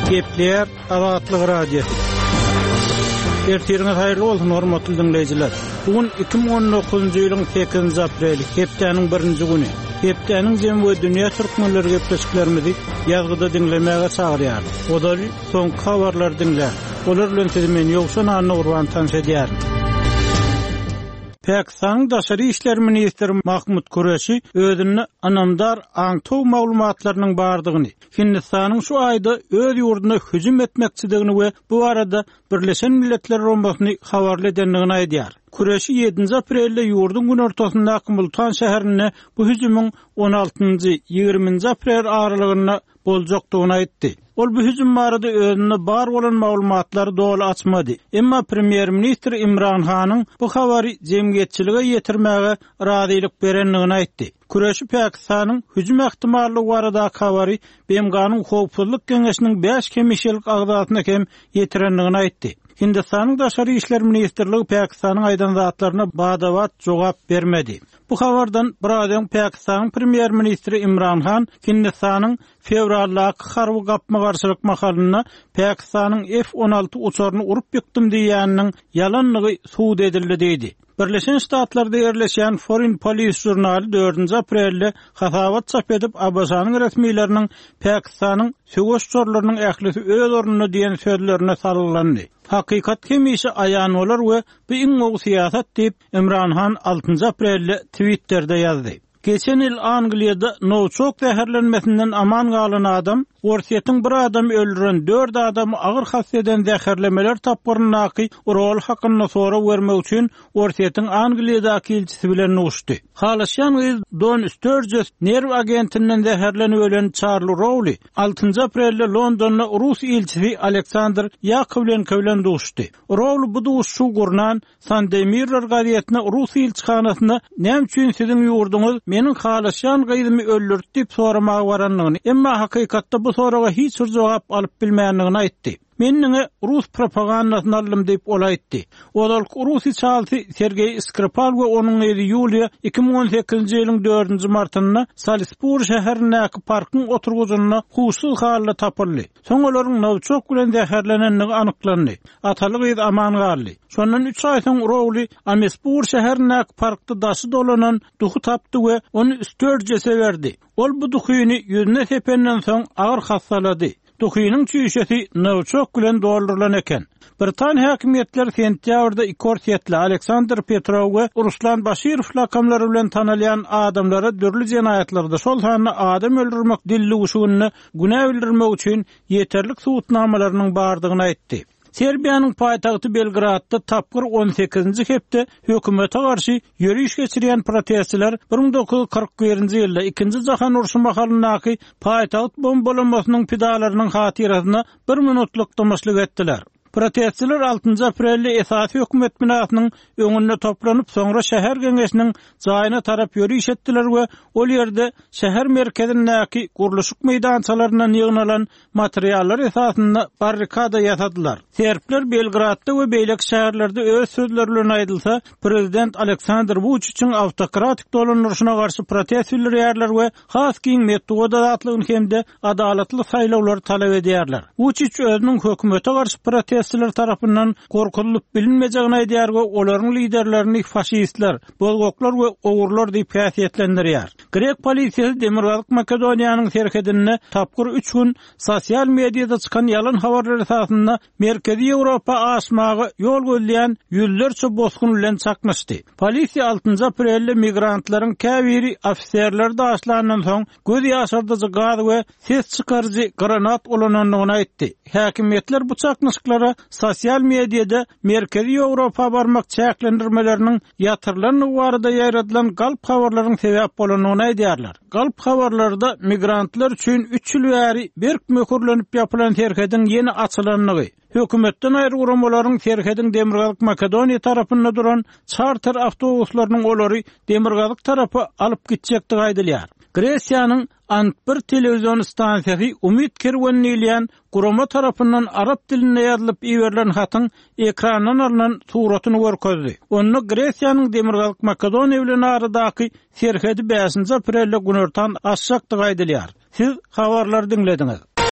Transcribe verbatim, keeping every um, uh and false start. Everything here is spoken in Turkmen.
Gepleýär Azatlyk Radiosy. Ertiriňiz haýyrly bolsun hormatly diňleýjiler. Bu gün iki müň on dokuzynjy ýylyň sekizinji apreli, hepdäniň birinji güni. Hepdäniň jemi we dünýä türkmenleri gepleşiklerimizi ýazgyda diňlemäge çagyrýar. Ozaly soňky habarlary diňläň. Olar bilen sizi men Ýowşan Anna tanyş edýärin. Pakistanyň Daşary İşler Ministri Mahmut Kureşi özünde anamdar aňtow maglumatlarynyň bardygyny, Hindistanyň şu aýda öz ýurduna hüjüm etmekçidigini we bu arada Birleşen Milletler Guramasyny habarly edendigini aýdýar. Kureşi ýedinji aprelde ýurduň günortasyndaky Multan şäherinde bu hüjümiň on altynjy, ýigriminji aprel aralygynda boljakdygyny aýtdy. Ol bu hüjüm barada özünde bar bolan maglumatlary doly açmady. Emma Premýer-ministr Imran Hanyň bu habary jemgyýetçilige ýetirmäge razylyk berendigini aýtdy. Kureşi Pakistanyň hüjüm ähtimallygy baradaky habary B M G-nyň Howpsuzlyk Geňeşiniň bäş hemişelik agzasyna hem ýetirendigini aýtdy. Hindistanyň Daşary İşler Ministrligi Pakistanyň aýdan zatlaryna badabat jogap bermedi. Bu habardan biraz öň Pakistanyň Premýer-ministri Imran Han Hindistanyň fewraldaky harby gapma-garşylyk mahalynda Pakistanyň F on alty uçaryny urup ýykdym diýeniniň ýalanlygy subut edildi diýdi. Birleşen Ştatlarda ýerleşýän Foreign Policy jurnaly dördünji aprelde hasabat çap edip A B Ş-nyň resmileriniň Pakistanyň söweş uçarlarynyň ählisi öz ornunda diýen sözlerine salgylandy. Hakykat hemişe aýan bolar we bu iň gowy syýasat diýip Imran Han altynjy aprelde Twitterде ýazdy. Geçen ýyl Angliýada Novichok zäherlenmesinden aman galan adam, Orsýetiň bir adam öldüren dört adamy agyr hassa eden zäherlemeler tapgyryndaky rol hakynda sorag bermek üçin Orsýetiň Angliýadaky ilçisi bilen duşdy. Halaşýan gyz Don Sturges nerw agentinden zäherlenip ölen Charlie Rowley altynjy aprelde Londonda Rus ilçisi Aleksandr Yakovlenko bilen duşdy. Rowley bu duşuşygy gurnan Sunday Mirror gazetine Rus ilçihanasyna näme üçin siziň ýurduňyz meniň halaşýan gyzymy öldürdi diýip soramaga barandygyny, emma hakykatda bu soraga hiç bir jogap alyp bilmändigini aýtdy. Men diňe Rus propagandasyny aldym diýip ol aýtdy. Ozalky Rus içalysy Sergeý Skripal we onuň gyzy Ýuliýa iki müň on sekizinji ýylyň dördünji martynda Salisbury şäherindäki parkyň oturgyjynda huşsuz halda tapyldy. Soň olaryň Novichok bilen zäherlenendigi anyklandy. Ataly gyz aman galdy. Şondan üç aý soň Rowley Amesbur şäherindäki parkda daşy dolanan duhy tapdy we ony Sturges'e berdi. Ol bu duhyny ýüzüne sependen soň agyr hassalady. Duhynyň çüýşesi Novichok bilen doldurylan eken. Britan häkimiýetleri sentýabrda iki orsýetli Aleksandr Petrov we Ruslan Başirow lakamlary bilen tanalýan adamlara dürli jenaýatlarda, şol sanda adam öldürmek dilluguşygyny günä bildirmek üçin ýeterlik subutnamalarynyň bardygyny aýtdy. Serbiýanyň paýtagty Belgradda tapgyr on sekizinji hepde hökümete garşy ýöriş geçirýän protestçiler bir müň dokuz ýüz kyrk birinji ýylda ikinji jahan urşy mahalyndaky paýtagt bombalamasynyň pidalarynyň hatyrasyna bir minutlyk dymyşlyk etdiler. Protestçiler altynjy aprelde esasy hökümet binasynyň öňünde toplanyp, soňra şäher geňeşiniň jaýyna tarap ýöriş etdiler we ol ýerde şäher merkezindäki gurluşyk meýdançalaryndan ýygnalan materiallar esasynda barrikada ýasadylar. Serbler Belgradda we beýleki şäherlerde öz sözleri bilen aýdylsa, prezident Aleksandr Vučićiň awtokratik dolandyryşyna garşy protest bildirýärler we has giň metbugat azatlygyny hem-de adalatly saýlawlary talap edýärler. Vučić özüniň hökümete garşy protestçiler tarapyndan gorkulyp bilinmejegini aýdýar we olaryň liderlerini faşistler, bozgaklar we ogurlar diýip häsiýetlendirýär. Grek polisiýasy Demirgazyk Makedoniýanyň serhedinde tapgyr üç gün sosial mediada çykan ýalan habarlar esasynda Merkezi Ýewropa aşmaga ýol gözleýän ýüzlerçe bosgun bilen çaknyşdy. Polisiýa altynjy aprelde migrantlaryň käbiri ofiserleri daşlandan soň göz ýaşardyjy gaz we ses çykaryjy granat ulanandygyny aýtdy. Häkimiýetler bu çaknyşyklara sosial mediada Merkezi Ýewropa barmak çäklendirmeleriniň ýatyrylandygy barada ýaýradylan galp habarlaryň sebäp bolandygyny aýdýarlar. Galp habarlarda migrantlar üçin üç ýyl bäri berk möhürlenip ýapylan serhediň ýene açylandygy, hökümetden aýry guramalaryň serhediň Demirgazyk Makedoniýa tarapynda duran çarter awtobuslarynyň olary Demirgazyk tarapa alyp gitjekdigi aýdylýar. Gresiýanyň Ant bir telewizion stansiýasy Umyt Kerwen diýilýän gurama tarapyndan arap dilinde ýazylyp iberilen hatyň ekrandan alynan suratyny görkezdi. Onda Gresiýanyň Demirgazyk Makedoniýa bilen aradaky serhedi bäşinji aprelde günortan açjakdygy aýdylýar. Siz habarlary diňlediňiz.